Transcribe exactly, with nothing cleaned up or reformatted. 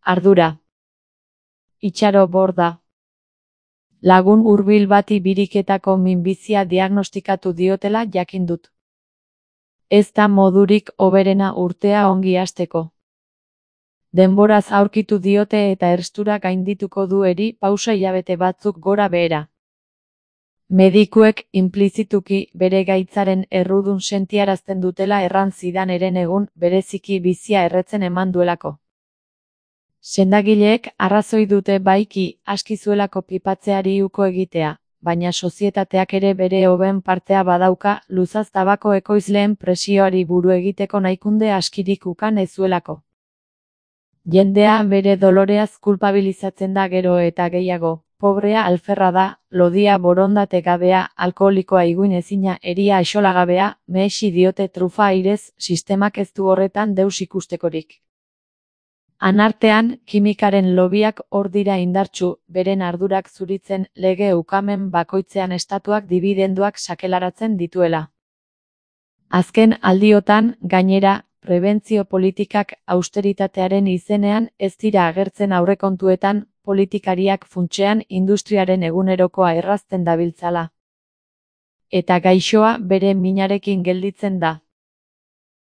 Ardura. Itxaro borda. Lagun hurbil bati biriketako minbizia diagnostikatu diotela jakin dut. Ez da modurik hoberena urtea ongi hasteko. Denboraz aurkitu diote eta erstura gaindituko du eri pausa hilabete batzuk gora behera. Medikuek inplizituki bere gaitzaren errudun sentiarazten dutela erran zidan eren egun bereziki bizia erretzen eman duelako. Sendagileek arrazoi dute baiki aski zuelako pipatzeari uko egitea, baina sozietateak ere bere hoben partea badauka luzaz tabako ekoizleen presioari buru egiteko nahikunde askirik ukan ez zuelako. Jendea bere doloreaz kulpabilizatzen da gero eta gehiago, pobrea alferra da, lodia borondate gabea, alkoholikoa iguin ezina eria axolagabea, mehesi diote trufa airez, sistemak ez du horretan deus ikustekorik. Anartean, kimikaren lobiak hor dira indartsu, beren ardurak zuritzen lege ukamen bakoitzean estatuak dibidenduak sakelaratzen dituela. Azken aldiotan, gainera, prebentzio politikak austeritatearen izenean ez dira agertzen aurrekontuetan, politikariak funtsean industriaren egunerokoa errazten dabiltzala. Eta gaixoa bere minarekin gelditzen da.